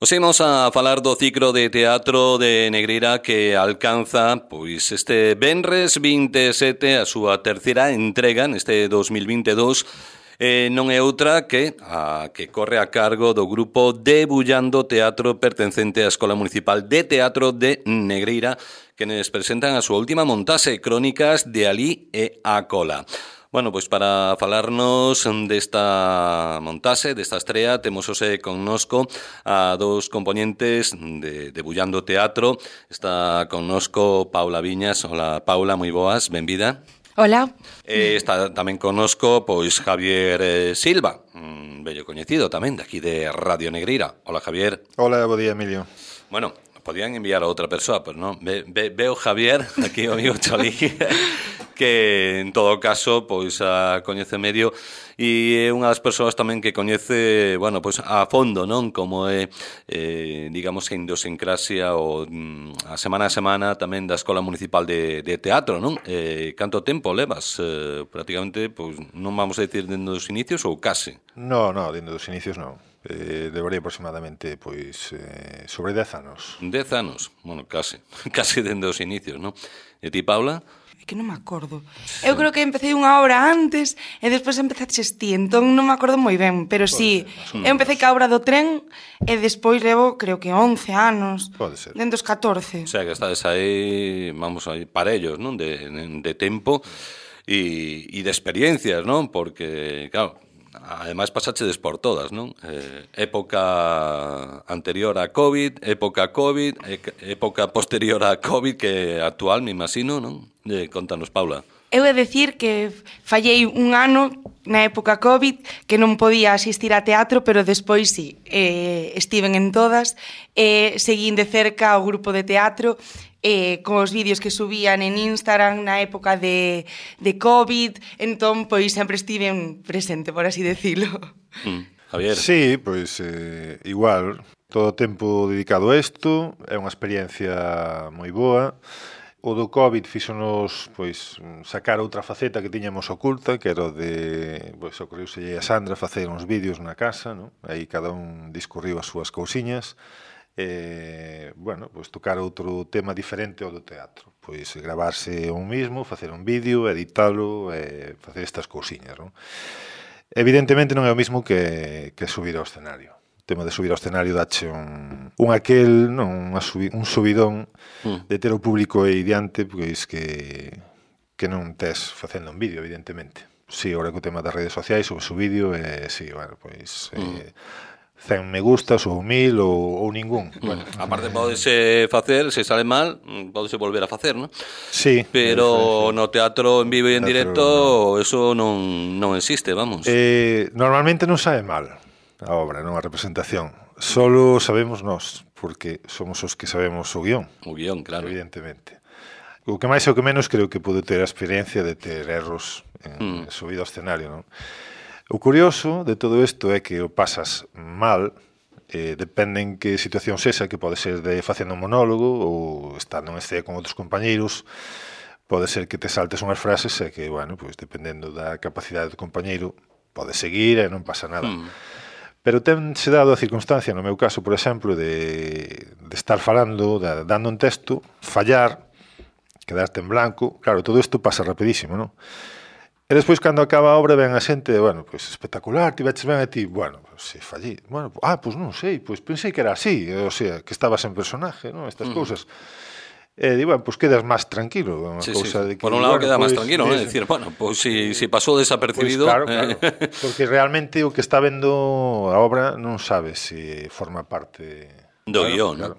Os imos a falar do ciclo de teatro de Negreira que alcanza pois este venres 27 a súa terceira entrega neste 2022. Non é outra que a que corre a cargo do grupo Debullando Teatro pertencente á Escola Municipal de Teatro de Negreira, que nos presentan a súa última montaxe, Crónicas de Alí e a Cola. Bueno, pois para falarnos desta montaxe, desta estrea, temos hoxe connosco a dous componentes de Debullando Teatro. Está connosco Paula Viñas. Hola, Paula, moi boas, benvida. Hola. Está tamén connosco pois Javier Silva, bello coñecido tamén daqui de Radio Negreira. Hola, Javier. Hola, bo día, Emilio. Bueno, podían enviar a outra persoa, pero non. Veo Javier, aquí o amigo Cholí, que en todo caso pois a coñece medio e é unha das persoas tamén que coñece, bueno, pois a fondo, non, como é digamos a idiosincrasia ou a semana tamén da Escola Municipal de Teatro, non? Canto tempo levas? Prácticamente, pois non vamos a decir dende os inicios ou case? No, dende dos inicios non. Levaría aproximadamente pois sobre 10 anos. 10 anos, bueno, case dende os inicios, non? E ti, Paula? Que non me acordo. Sí. Eu creo que empecé unha hora antes e despois empezaches ti, entón non me acordo moi ben, pero sí, eu empecé ca obra do tren e despois levo, creo que 11 anos. Pode ser. Dentro dos 14. O sea, que estades aí, vamos aí, parellos, non? De tempo e de experiencias, non? Porque, claro, ademais pasachedes por todas, non? Época anterior a COVID, época COVID, época posterior a COVID, que actual, me imagino, non? Contanos, Paula. Eu he de decir que fallei un ano na época COVID que non podía asistir a teatro, pero despois sí, estiven en todas, seguín de cerca o grupo de teatro, con os vídeos que subían en Instagram na época de COVID, entón, pois, sempre estiven presente, por así decirlo. Javier. Sí, pois, igual, todo o tempo dedicado a isto, é unha experiencia moi boa. O do COVID fíxonos, pois, sacar outra faceta que tiñamos oculta, que era o de, pois, ocorriuselle a Sandra facer uns vídeos na casa, non? Aí cada un discurriu as súas cousiñas. Bueno, pois tocar outro tema diferente ao do teatro, pois gravarse un mismo, facer un vídeo, editalo, facer estas cousiñas, non? Evidentemente non é o mismo que subir ao escenario. O tema de subir ao escenario dache un subidón de ter o público aí diante, pois que non tes facendo un vídeo, evidentemente. Si, agora que o tema das redes sociais, subes o vídeo e si, bueno, pois 100 me gustas ou 1000 ou ningún. Bueno, aparte podese facer, se sale mal, podese volver a facer, non? Sí. Pero no teatro en vivo e en directo eso non existe, vamos. Normalmente non sabe mal a obra, non a representación. Solo sabemos nós, porque somos os que sabemos o guión. O guión, claro. Evidentemente. O que máis e o que menos creo que pode ter a experiencia de ter erros en subido ao escenario, non? O curioso de todo isto é que o pasas mal, depende en que situación sexa, que pode ser de facendo un monólogo ou estando en escena con outros compañeiros, pode ser que te saltes unhas frases e que, bueno, pois dependendo da capacidade do compañeiro, pode seguir e non pasa nada. Pero tense dado a circunstancia, no meu caso, por exemplo, de estar falando, dando un texto, fallar, quedarte en blanco, claro, todo isto pasa rapidísimo, non? E despois, cando acaba a obra, ven a xente, bueno, pois espectacular, tiveches ben a ti, bueno, pois se fallí, bueno, pois non sei, pois pensei que era así, o sea, que estabas en personaje, non, estas cousas. E digo, bueno, pois quedas máis tranquilo, unha cousa de que, por un lado, queda máis tranquilo, non? É dicir, bueno, pois si pasou desapercibido, claro, porque realmente o que está vendo a obra non sabe se forma parte do guión, non?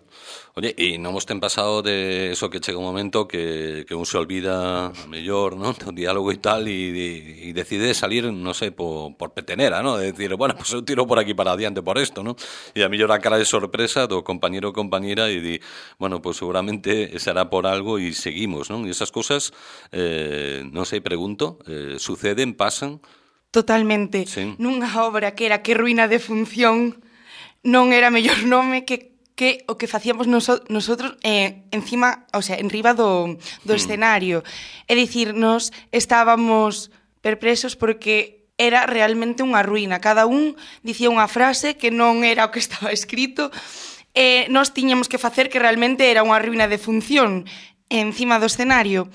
Oye, e non vos ten pasado de eso que chega un momento que un se olvida mellor, non? O diálogo e tal e decide salir, non sei, por petenera, non? De decir, bueno, pues eu tiro por aquí para adiante por esto, non? E a mellor a cara de sorpresa do compañero ou compañera e di, bueno, pues seguramente será por algo e seguimos, non? E esas cosas, non sei, pregunto, suceden, pasan? Totalmente. Sí. Nunha obra que era Que ruína de función non era mellor nome que o que facíamos nosotros encima, o sea, enriba do escenario. É dicir, nos estábamos perpresos porque era realmente unha ruína. Cada un dicía unha frase que non era o que estaba escrito nós tiñamos que facer que realmente era unha ruína de función encima do escenario.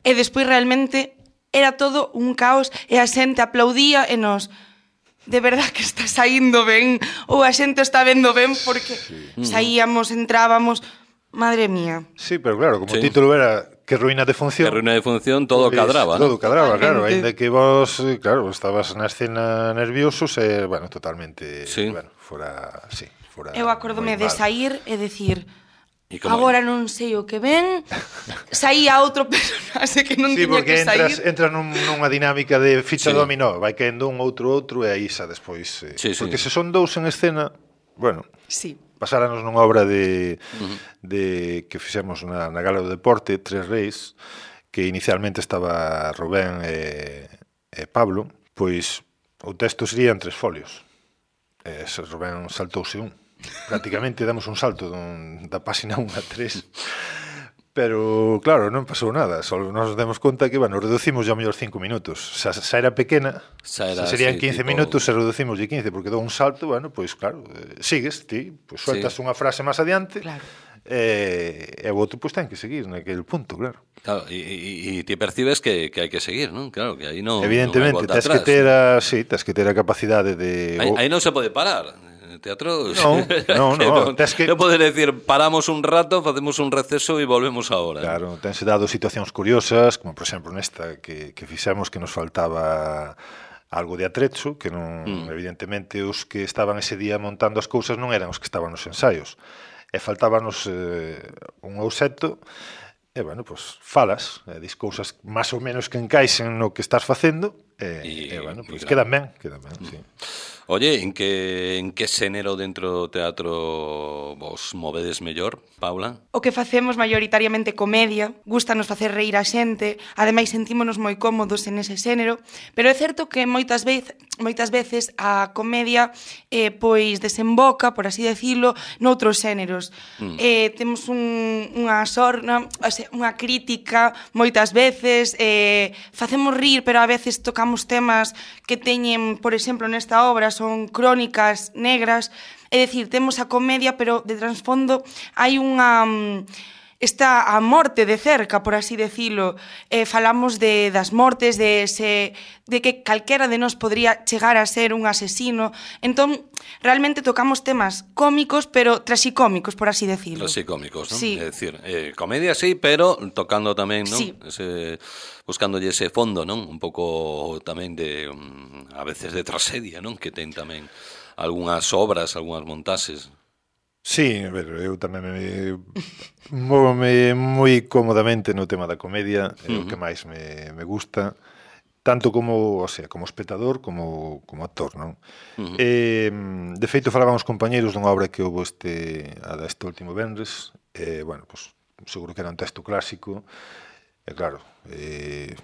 E despois realmente era todo un caos e a xente aplaudía e nós... De verdad que está saindo ben, ou a xente está vendo ben, porque saíamos, entrábamos, madre mía. Sí, pero claro, como o título era que ruína de función. Que ruína de función, todo pues, cadraba, todo cadraba, claro, ainda que vos, claro, estabas na escena nerviosos e, bueno, totalmente, bueno, fora, sí, fora. Eu acordome de sair e decir... é? Agora non sei o que ven. Saía outro personaxe que non tiña que sair. Sí, porque entras nunha dinámica de ficha dominó, vai caendo un outro e aí xa despois. Porque se son dous en escena, bueno, pasáranos nunha obra de que fixemos na Gala do Deporte, Tres Reis, que inicialmente estaba Rubén e Pablo, pois o texto sería en 3 folios. Rubén saltouse un. Prácticamente damos un salto da páxina 1 a 3, pero claro, non pasou nada, só nos demos conta que, bueno, reducimos ao mellor 5 minutos, xa era pequena, serían 15 minutos e reducimos de 15, porque dou un salto, bueno, pois claro, sigues, ti, pois sueltas unha frase máis adiante, e o outro pois ten que seguir naquele punto, claro. Claro, e ti percibes que hai que seguir, non? Claro, que aí non evidentemente, tens que ter a capacidade de... Aí non se pode parar. Teatro... No. Eu poder decir, paramos un rato, facemos un receso e volvemos agora. Claro, tense dado situacións curiosas, como por exemplo nesta que fixemos que nos faltaba algo de atrecho, que non, evidentemente os que estaban ese día montando as cousas non eran os que estaban nos ensaios. E faltábanos un ouseto, e, bueno, pues falas, dis cousas máis ou menos que encaixen no que estás facendo, e bueno, pues quedan ben, sí. Oye, en que xénero dentro do teatro vos movedes mellor, Paula? O que facemos maioritariamente comedia, gustanos facer reír a xente, ademais sentímonos moi cómodos en ese xénero, pero é certo que moitas veces a comedia pois desemboca, por así decirlo, noutros xéneros. Temos unha sorna, unha crítica moitas veces, facemos rir, pero a veces tocamos temas que teñen, por exemplo, nesta obra, son crónicas negras, é dicir, temos a comedia, pero de trasfondo hai unha... está a morte de cerca, por así decirlo. Falamos das mortes, de que calquera de nós podría chegar a ser un asesino. Entón, realmente tocamos temas cómicos, pero trasicómicos, por así decirlo. Trasicómicos, non? Sí. É dicir, comedia sí, pero tocando tamén, non? Sí. Buscándolle ese fondo, non? Un pouco tamén de, a veces de tragedia, non? Que ten tamén algunhas obras, algunhas montaxes. Sí, pero eu tamén móvome moi cómodamente no tema da comedia, é o que máis me gusta, tanto como, como espectador como actor, non? De feito, falábamos compañeiros dunha obra que houve este último venres, bueno, pues, seguro que era un texto clásico, e claro,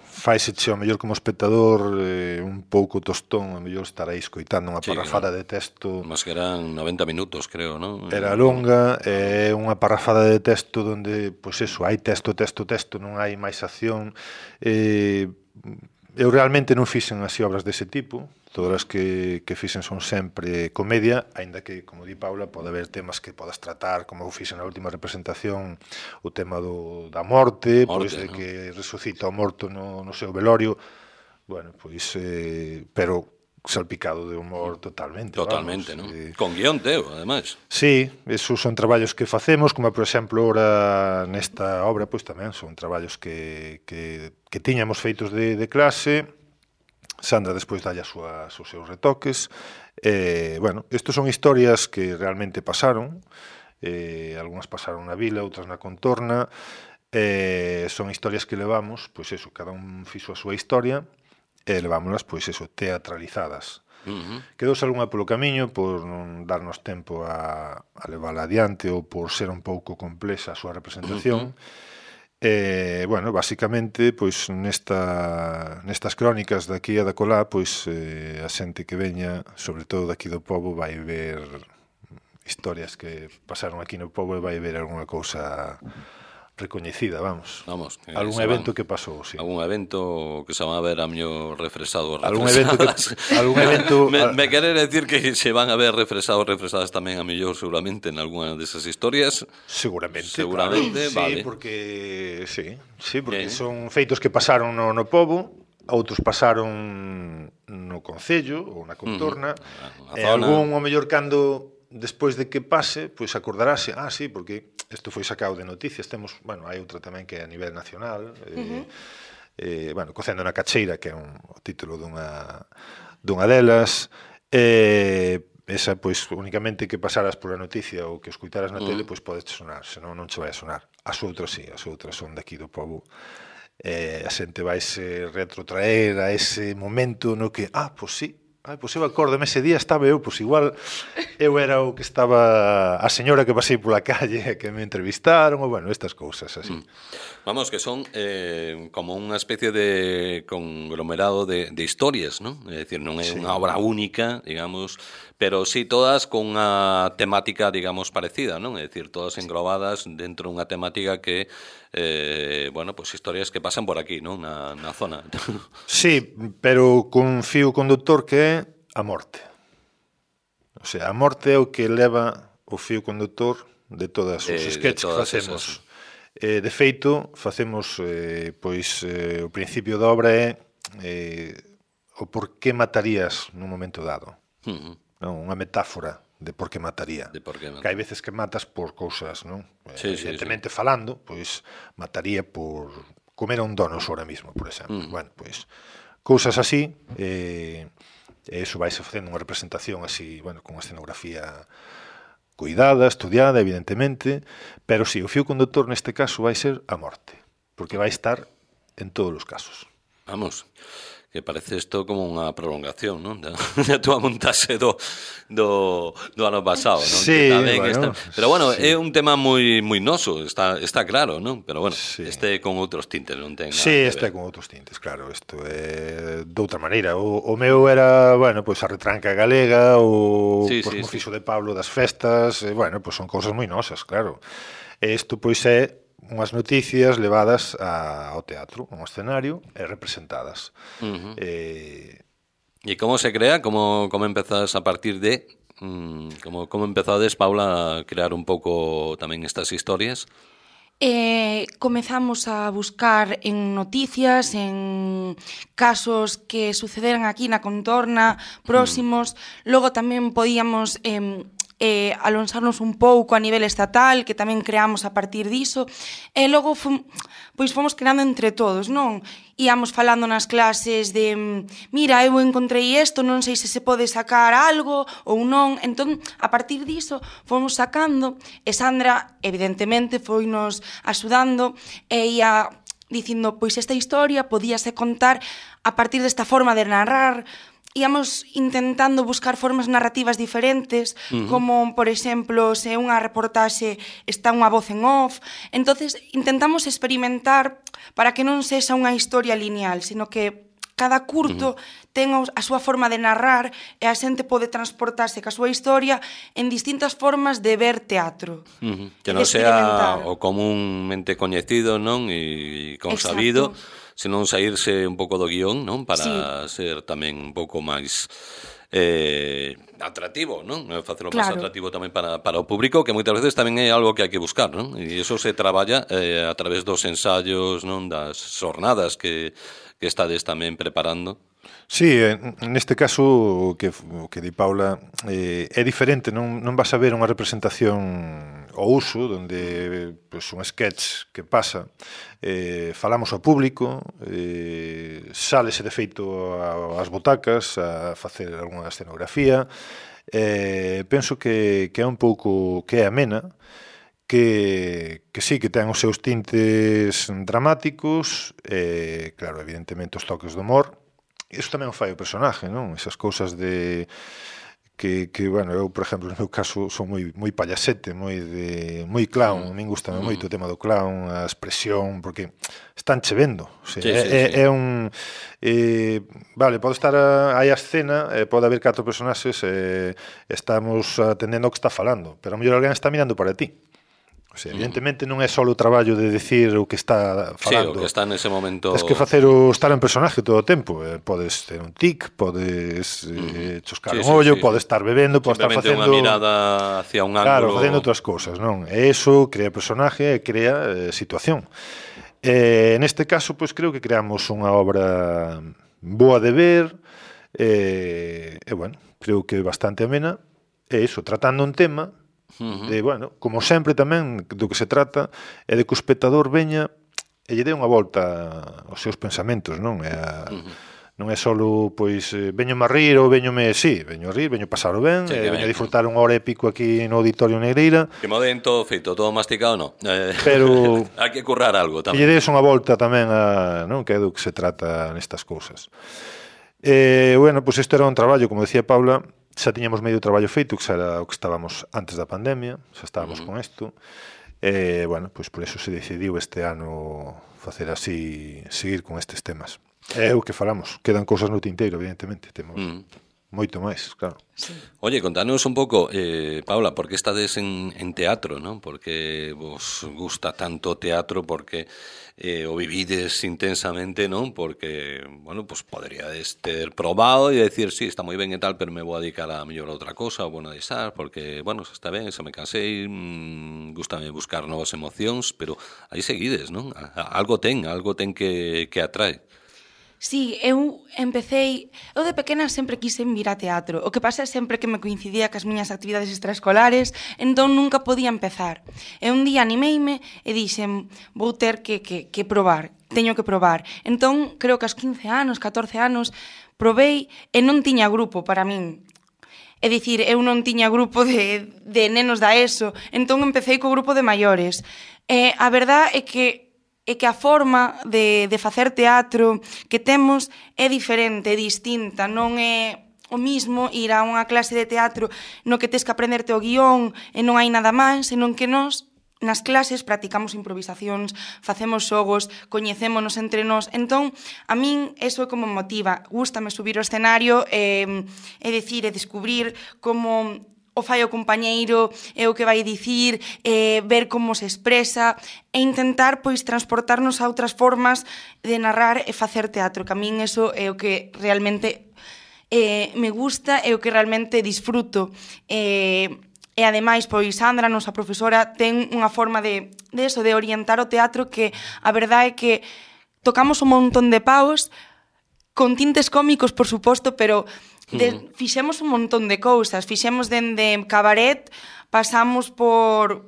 faise ao mellor como espectador un pouco tostón, ao mellor estar aí escoitando unha parrafada de texto. Mas que eran 90 minutos, creo, non? Era longa, unha parrafada de texto onde, pois eso, hai texto, non hai máis acción. Eu realmente non fixen así obras dese tipo, todas as que fixen son sempre comedia, aínda que, como di Paula, pode haber temas que podas tratar, como eu fixen na última representación, o tema da morte, pois de que resucita o morto no seu velorio, bueno, pois, pero salpicado de humor totalmente. Totalmente, non? Con guión teu, ademais. Sí, esos son traballos que facemos, como por exemplo, ora nesta obra, pois tamén son traballos que tiñamos feitos de clase. Sandra despois dalle os seus retoques. Bueno, estos son historias que realmente pasaron, algunhas pasaron na vila, outras na contorna, son historias que levamos, pois eso, cada un fixo a súa historia, e levámolas, pois eso, teatralizadas. Quedouse algunha polo camiño por non darnos tempo a levarla adiante ou por ser un pouco complexa a súa representación. Bueno, basicamente, pois nestas crónicas daqui e da colá, pois a xente que veña, sobre todo daqui do pobo, vai ver historias que pasaron aquí no pobo e vai ver algunha cousa recoñecida, vamos. Algún se evento que pasou, sí. Algún evento que se van a ver a mellor refresado. Algún evento me quere decir que se van a ver refresadas tamén a mellor seguramente en algunha desas historias. Seguramente, claro. Vale. Sí, porque son feitos que pasaron no pobo, outros pasaron no concello ou na contorna, e algún, ao mellor, cando despois de que pase, pois acordarase, sí, porque isto foi sacado de noticias, temos, hai outra tamén que é a nivel nacional, Cocendo na Cacheira, que é o título dunha delas, esa, pois, únicamente que pasaras por a noticia ou que escuitaras na tele, pois podes sonar, senón non che vai a sonar. As outras sí, as outras son daqui do pobo. A xente vaise retrotraer a ese momento no que, pois sí, pois eu acórdame, ese día estaba eu, pois igual eu era o que estaba a señora que pasei pola calle que me entrevistaron, ou estas cousas así. Vamos, que son como unha especie de conglomerado de historias, non? É dicir, non é unha obra única, digamos, pero sí todas con unha temática, digamos, parecida, non? É dicir, todas englobadas dentro dunha temática que pues historias que pasan por aquí, non? Na zona. Sí, pero con fío conductor que é a morte. O sea, a morte é o que leva o fío conductor de todas os sketches que facemos. De feito, facemos, o principio da obra é o por que matarías nun momento dado. Unha metáfora de por que mataría. Que hai veces que matas por cousas, non? Evidentemente falando, pois mataría por comer un donos ahora mismo, por exemplo. Pois cousas así, eso vaise facendo unha representación así, con unha escenografía cuidada, estudiada, evidentemente, pero sí, o fío conductor neste caso vai ser a morte, porque vai estar en todos os casos. Vamos, que parece isto como unha prolongación, non? Da túa montaxe do ano pasado, non? Sí, pero é un tema moi noso, está claro, non? Pero este con outros tintes, non ten nada. Sí, este con outros tintes, claro, isto é de outra maneira. O meu era, a retranca galega, o Mofiso de Pablo das festas, son cousas moi nosas, claro. Isto, é unhas noticias levadas ao teatro, a un escenario, e representadas. E como se crea? Como empezas a partir de... Como empezades, Paula, a crear un pouco tamén estas historias? Comezamos a buscar en noticias, en casos que sucederan aquí na contorna, próximos. Logo tamén podíamos alonsarnos un pouco a nivel estatal, que tamén creamos a partir diso, e logo fomos creando entre todos, non? Íamos falando nas clases de mira, eu encontrei isto, non sei se se pode sacar algo ou non, entón, a partir diso fomos sacando, e Sandra, evidentemente, foinos axudando, e ia dicindo, pois esta historia podíase contar a partir desta forma de narrar. Íamos intentando buscar formas narrativas diferentes, como, por exemplo, se unha reportaxe está unha voz en off. Entonces, intentamos experimentar para que non sexa unha historia lineal, sino que cada curto ten a súa forma de narrar e a xente pode transportarse ca súa historia en distintas formas de ver teatro. Que non sea o comúnmente coñecido, non? E consabido, senón saírse un pouco do guión, non? Para ser tamén un pouco máis atractivo, non? Facelo máis atractivo tamén para o público, que moitas veces tamén é algo que hai que buscar, non? E iso se traballa a través dos ensaios, non? Das xornadas que estades tamén preparando. Sí, neste caso o que di Paula é diferente, non vas a ver unha representación ao uso, onde un sketch que pasa, falamos ao público, sálese de feito ás butacas a facer algunha escenografía, penso que é un pouco que é amena, que sí, que ten os seus tintes dramáticos, claro, evidentemente os toques do humor. Iso tamén o fai o personaje, non? Esas cousas de que eu, por exemplo, no meu caso, son moi payasete, moi clown, a min gusta moito o tema do clown, a expresión, porque están che vendo. É un... pode estar aí a escena, pode haber 4 personaxes, estamos atendendo ao que está falando, pero a mellor alguén está mirando para ti. O sea, evidentemente non é só o traballo de decir o que está falando. Sí, o que está nese momento. Tens que facer o estar en personaje todo o tempo. Podes ter un tic, podes choscar un ollo, podes estar bebendo, podes estar facendo... unha mirada hacia un ángulo. Claro, facendo outras cousas, non? E eso crea personaje e crea situación. Neste caso, pois creo que creamos unha obra boa de ver, bueno, creo que bastante amena, e iso, tratando un tema de, bueno, como sempre tamén do que se trata é de que o espectador veña e lle dé unha volta aos seus pensamentos, non? Non é só, pois, veñome a rir ou veñome, veño a rir, veño a pasar ben, veño a disfrutar unha hora e pico aquí no Auditorio Negreira. Que mo den todo feito, todo masticado, non. Pero hai que currar algo tamén. E lle des unha volta tamén a, non, que é do que se trata nestas cousas. Bueno, pois isto era un traballo, como decía Paula, xa tiñamos medio traballo feito, que xa era o que estábamos antes da pandemia, xa estábamos con isto. Bueno, pois por eso se decidiu este ano facer así, seguir con estes temas. É o que falamos, quedan cousas no tinteiro, evidentemente, temos moito máis, claro. Sí. Oye, contanos un pouco, Paula, por que estades en teatro, non? Por que vos gusta tanto o teatro, porque o vivides intensamente, non? Porque, bueno, pues poderíades ter probado e decir, sí, está moi ben e tal, pero me vou a dedicar a mellor a outra cosa, ou bueno, a deixar, porque, bueno, se está ben, se me cansei, gustame buscar novas emocións, pero aí seguides, non? Algo ten que atrae. Sí, eu de pequena sempre quisen vir a teatro. O que pasa é sempre que me coincidía cas miñas actividades extraescolares, entón nunca podía empezar. E un día animeime e dixen, vou ter que probar, teño que probar. Entón, creo que aos 15 anos, 14 anos, probei e non tiña grupo para min. É dicir, eu non tiña grupo de nenos da ESO, entón empecé co grupo de maiores. A verdad é que a forma de facer teatro que temos é diferente, é distinta, non é o mismo ir a unha clase de teatro no que tes que aprenderte o guión e non hai nada máis, senón que nós nas clases practicamos improvisacións, facemos xogos, coñecémonos entre nós. Entón, a min eso é como motiva. Gústame subir ao escenario e decir e descubrir como o fai o compañeiro, é o que vai dicir, ver como se expresa e intentar, pois, transportarnos a outras formas de narrar e facer teatro, que a min eso é o que realmente me gusta e o que realmente disfruto. E ademais, pois, Sandra, nosa profesora, ten unha forma de orientar o teatro que a verdade é que tocamos un montón de paus, con tintes cómicos, por suposto, pero fixemos un montón de cousas, fixemos dende cabaret, pasamos por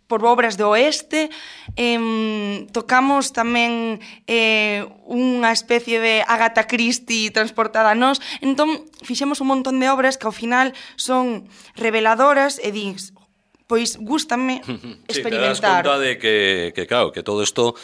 obras do oeste, tocamos tamén unha especie de Agatha Christie transportada a nós, entón fixemos un montón de obras que ao final son reveladoras e dis, pois gústame experimentar. Sí, te das conta de que claro, que todo isto...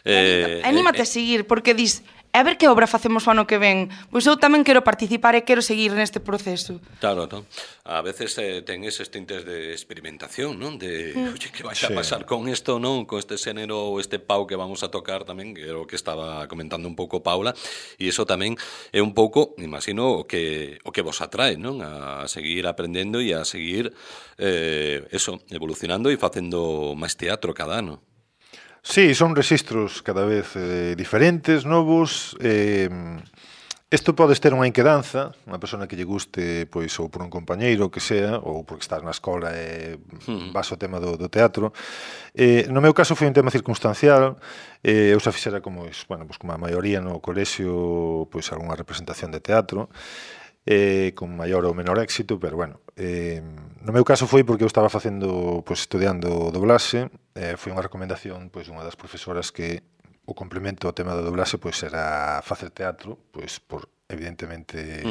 Anímate a seguir, porque dis, a ver que obra facemos o ano que ven. Pois eu tamén quero participar e quero seguir neste proceso. Claro, non? A veces ten eses tintes de experimentación, non? De, oye, que vai a pasar con isto, non? Con este xénero ou este pau que vamos a tocar tamén, que é o que estaba comentando un pouco Paula, e iso tamén é un pouco, imagino, o que vos atrae, non? A seguir aprendendo e a seguir evolucionando e facendo máis teatro cada ano. Sí, son rexistros cada vez diferentes, novos. Isto podes ter unha inquedanza, unha persona que lle guste, pois, ou por un compañeiro que sea, ou porque estás na escola e vas ao tema do teatro. No meu caso foi un tema circunstancial. Eu xa fixera como a maioría no colexio, pois, algunha representación de teatro, con maior ou menor éxito, pero bueno, no meu caso foi porque eu estaba facendo, pois, estudiando doblaxe, foi unha recomendación, pois, dunha das profesoras que o complemento ao tema da doblaxe, pois, era facer teatro, pois, por, evidentemente,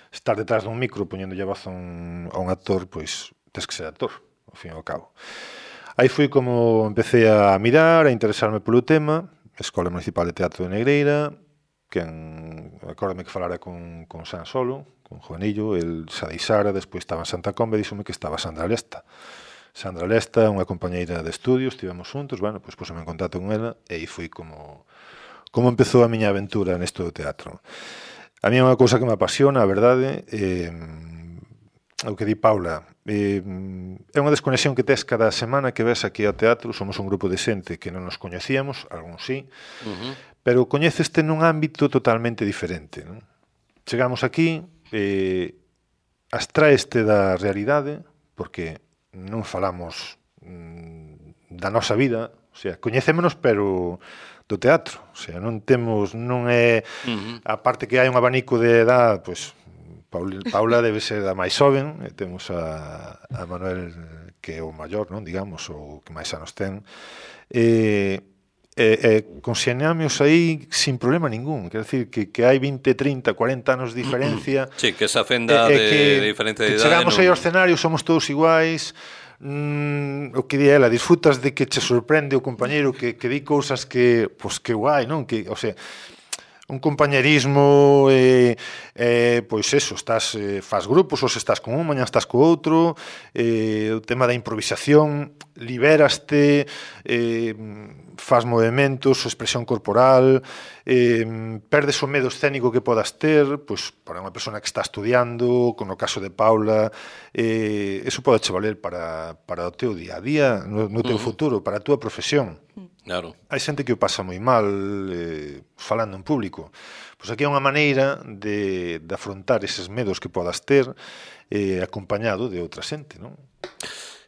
estar detrás dun micro poñéndolle a voz a un actor, pois, tes que ser actor, ao fin e ao cabo. Aí foi como empecé a mirar, a interesarme polo tema, Escola Municipal de Teatro de Negreira, acórdame que falara con San Solo, con Juanillo, el xa deixara, despois estaba en Santa Comba e díxome que estaba Sandra Lesta. Sandra Lesta, unha compañeira de estudio, estivemos xuntos, bueno, pois puseme en contacto con ela e aí foi como empezou a miña aventura nesto do teatro. A mí é unha cousa que me apasiona, a verdade, o que di Paula, é unha desconexión que tes cada semana que ves aquí ao teatro. Somos un grupo de xente que non nos coñecíamos, algún sí, pero coñeceste nun ámbito totalmente diferente, non? Chegamos aquí, abstraeste da realidade, porque non falamos da nosa vida, o sea, coñecémonos, pero do teatro, o sea, non é a parte que hai un abanico de edad, pois Paula debe ser a máis xoven, e temos a Manuel, que é o maior, non, digamos, o que máis anos ten, conxeñamos aí sin problema ningún. Quer decir, que hai 20, 30, 40 anos de diferencia. Sí, que esa fenda de diferencia de idade. Chegamos aí ao escenario, somos todos iguais. O que di ela, disfrutas de que che sorprende o compañeiro que di cousas que, pois, que guai, non? Que, o sea, un compañerismo, pois eso, faz grupos, ou se estás con un, mañá estás co outro, o tema da improvisación, liberaste, faz movimentos, expresión corporal, perdes o medo escénico que podas ter, pois para unha persona que está estudiando, como no caso de Paula, eso pode che valer para o teu día a día, no teu futuro, para a túa profesión. Claro. Hai xente que o pasa moi mal falando en público. Pois aquí é unha maneira de afrontar eses medos que podas ter acompañado de outra xente, non?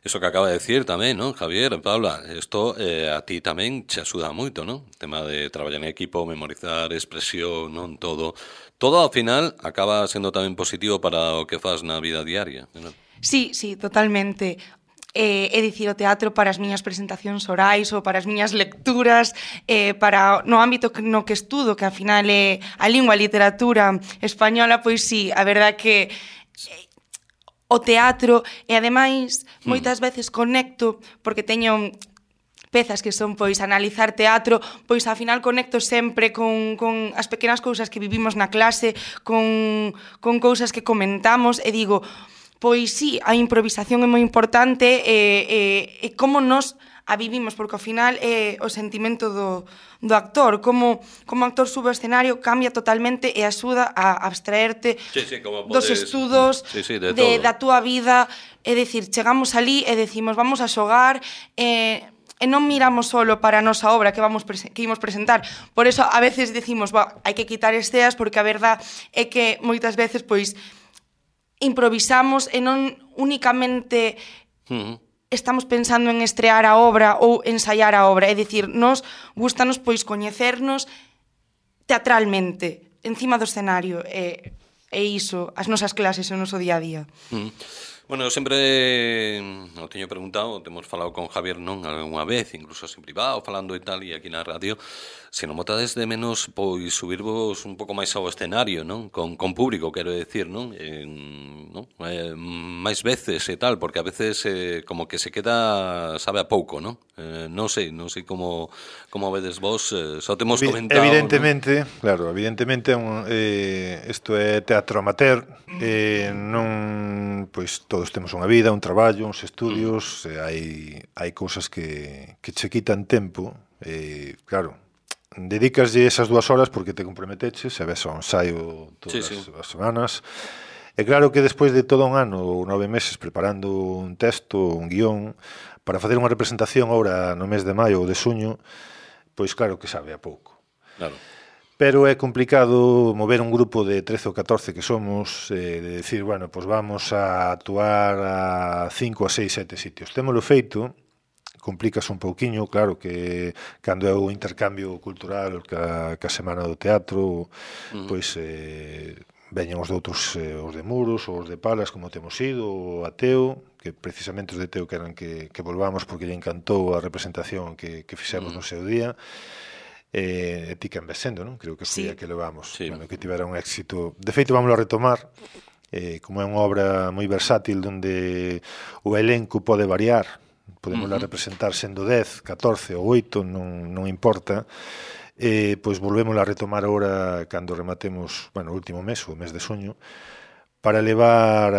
Eso que acaba de decir tamén, non, Javier, Paula, isto a ti tamén che axuda moito, non? O tema de traballar en equipo, memorizar, expresión, non, todo ao final acaba sendo tamén positivo para o que fas na vida diaria, non? Sí, totalmente. É dicir, o teatro para as miñas presentacións orais ou para as miñas lecturas, para no ámbito no que estudo, que ao final é a lingua, a literatura española, pois sí, a verdade que o teatro, e ademais moitas veces conecto, porque teño pezas que son, pois, analizar teatro, pois, ao final conecto sempre con as pequenas cousas que vivimos na clase, con cousas que comentamos, e digo, pois sí, a improvisación é moi importante, e como nos a vivimos, porque ao final é o sentimento do actor, como actor sube ao escenario, cambia totalmente e axuda a abstraerte dos estudos, da túa vida, é dicir, chegamos ali e decimos, vamos a xogar, e non miramos solo para a nosa obra que imos presentar. Por eso a veces decimos, hai que quitar esceas, porque a verdade é que moitas veces, pois, improvisamos e non únicamente estamos pensando en estrear a obra ou ensaiar a obra, é dicir, nos gustanos, pois, coñecernos teatralmente, encima do escenario, e iso, as nosas clases, o noso día a día. Bueno, eu sempre o teño preguntado, temos falado con Javier non algunha vez, incluso en privado, falando e tal, e aquí na radio, se non botades de menos, pois, subirvos un pouco máis ao escenario, non? Con público, quero decir, non? Máis veces e tal, porque a veces como que se queda, sabe a pouco, non? Non sei como vedes vos, só temos comentado... Evidentemente, ¿no? Claro, evidentemente, isto é teatro amateur, non, pois, todos temos unha vida, un traballo, uns estudios, hai cousas que che quitan tempo, claro, dedicaslle esas 2 horas porque te comprometeches, e ves ao ensaio todas as semanas, e claro que despois de todo un ano ou 9 meses preparando un texto, un guión, para facer unha representación ahora no mes de maio ou de xuño, pois claro que sabe a pouco. Claro. Pero é complicado mover un grupo de 13 ou 14 que somos, de decir, bueno, pois vamos a actuar a 5, a 6, 7 sitios. Témolo feito, complica un pouquiño, claro, que cando é o intercambio cultural ca Semana do Teatro, pois veñen os de outros, os de Muros, ou os de Palas, como temos ido, o Ateo, que precisamente os de Teo queran que volvamos porque lle encantou a representación que fixemos no seu día. Ti que envesendo, non? Creo que foi a que levamos, bueno, que tivera un éxito. De feito, vamos a retomar, como é unha obra moi versátil, onde o elenco pode variar, podemos representar sendo 10, 14 ou 8, non importa, pois volvemos a retomar agora cando rematemos, bueno, o último mes, o mes de xuño, para levar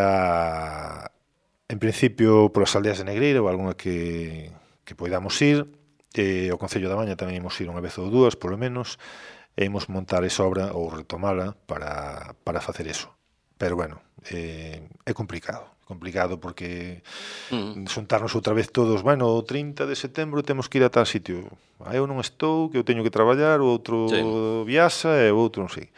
en principio polas aldeas de Negreira ou algunha que poidamos ir. O Concello da Maña tamén imos ir unha vez ou 2, polo menos, e imos montar esa obra ou retomala para facer eso. Pero, bueno, é complicado. complicado porque xuntarnos outra vez todos, bueno, o 30 de setembro temos que ir a tal sitio. Eu non estou, que eu teño que traballar, o outro viaxa e o outro non sei.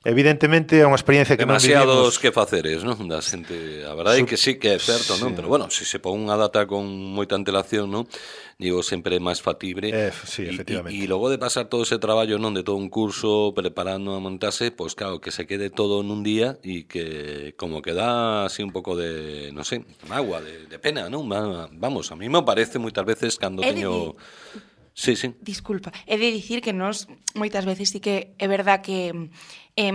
Evidentemente é unha experiencia que demasiados que faceres, non? Da xente, a verdade é que sí que é certo, non? Pero bueno, se se pon unha data con moita antelación, non? Digo, sempre é máis factible. Sí, efectivamente. E logo de pasar todo ese traballo, non? De todo un curso preparando a montarse, pois claro, que se quede todo nun día e que como que dá así un pouco de, non sei, mágoa, de pena, non? Vamos, a mí me parece moitas veces cando teño... Sí, sí. Disculpa, he de dicir que nós moitas veces sí que é verdad que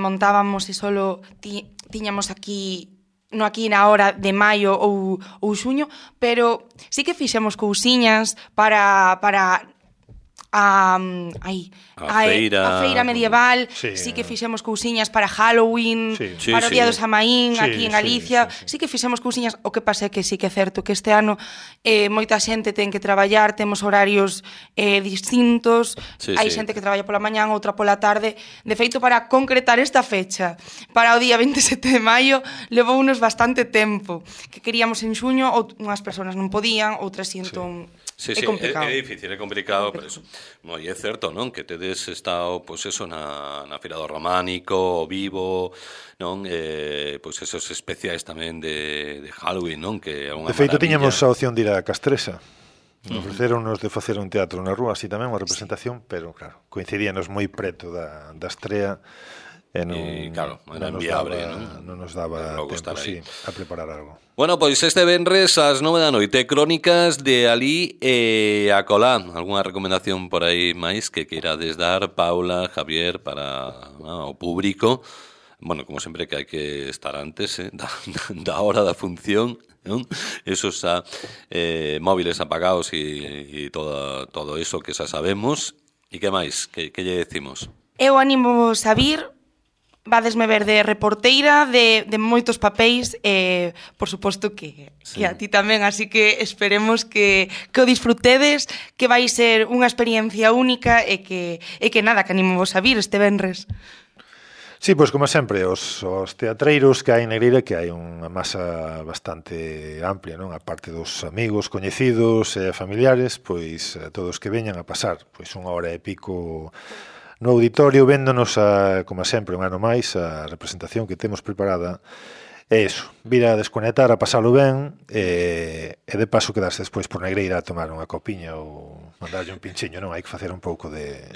montábamos e solo tiñamos aquí na hora de maio ou xuño, pero sí que fixemos cousiñas para a feira medieval, sí que fixemos cousiñas para Halloween, para o Día do Samaín, aquí en Galicia, sí que fixemos cousiñas. O que pasa é que sí que é certo que este ano moita xente ten que traballar, temos horarios distintos, hai xente que traballa pola mañán, outra pola tarde. De feito, para concretar esta fecha para o día 27 de maio levounos bastante tempo, que queríamos en xuño, unhas persoas non podían, outras entón... Sí, é complicado. É difícil, é complicado, pero eso. No, e é certo, non? Que tedes estado, pois eso, na Feira do Románico, o Vivo, non? Pois esos especiais tamén de Halloween, non? Que é unha de feito, maravilla. tiñamos a opción de ir a Castresa. Ofreceronnos de facer un teatro na rúa, así tamén, unha representación, pero, claro, coincidíanos moi preto da estrea, e claro, era inviable, non nos daba tempo, sí, a preparar algo. Bueno, pois este venres ás 9 da noite, crónicas de alí e a colá. Algúna recomendación por aí máis que queirades dar, Paula, Javier, para o público? Bueno, como sempre que hai que estar antes da hora da función, non? Esos móviles apagados e todo eso que xa sabemos. E que máis? Que lle decimos? Eu animo a vir. Vadesme ver de reporteira, de moitos papéis, por suposto que a ti tamén, así que esperemos que o disfrutedes, que vai ser unha experiencia única e que nada, que animo vos a vir este venres. Sí, pois como sempre, os teatreiros que hai en Negreira, que hai unha masa bastante amplia, non? A parte dos amigos, coñecidos e familiares, pois todos que veñan a pasar pois unha hora e pico no auditorio, véndonos como sempre, un ano máis, a representación que temos preparada. É iso, vir a desconectar, a pasalo ben, e de paso quedarse despois por Negreira a tomar unha copiña ou mandarlle un pinchiño, non? Hai que facer un pouco de...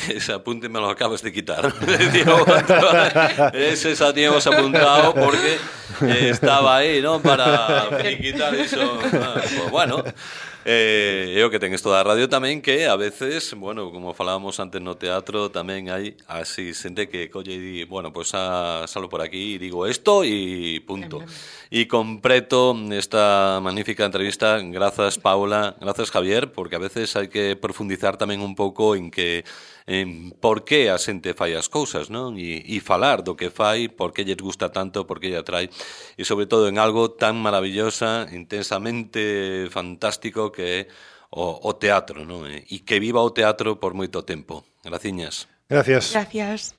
Ese apunte me lo acabas de quitar. Ese xa tiñamos apuntado porque estaba aí, non? Para quitar iso. Pues bueno... é o que ten isto da radio tamén, que a veces, bueno, como falábamos antes no teatro, tamén hai así xente que colle e di, bueno, pues salo por aquí e digo esto e punto. E completo esta magnífica entrevista. Grazas, Paula, grazas, Javier, porque a veces hai que profundizar tamén un pouco en por que a xente fai as cousas, non? E falar do que fai, por que lles gusta tanto, por que lle atrae, e sobre todo en algo tan maravillosa, intensamente fantástico que é o teatro, non? E que viva o teatro por moito tempo. Graciñas. Gracias. Gracias.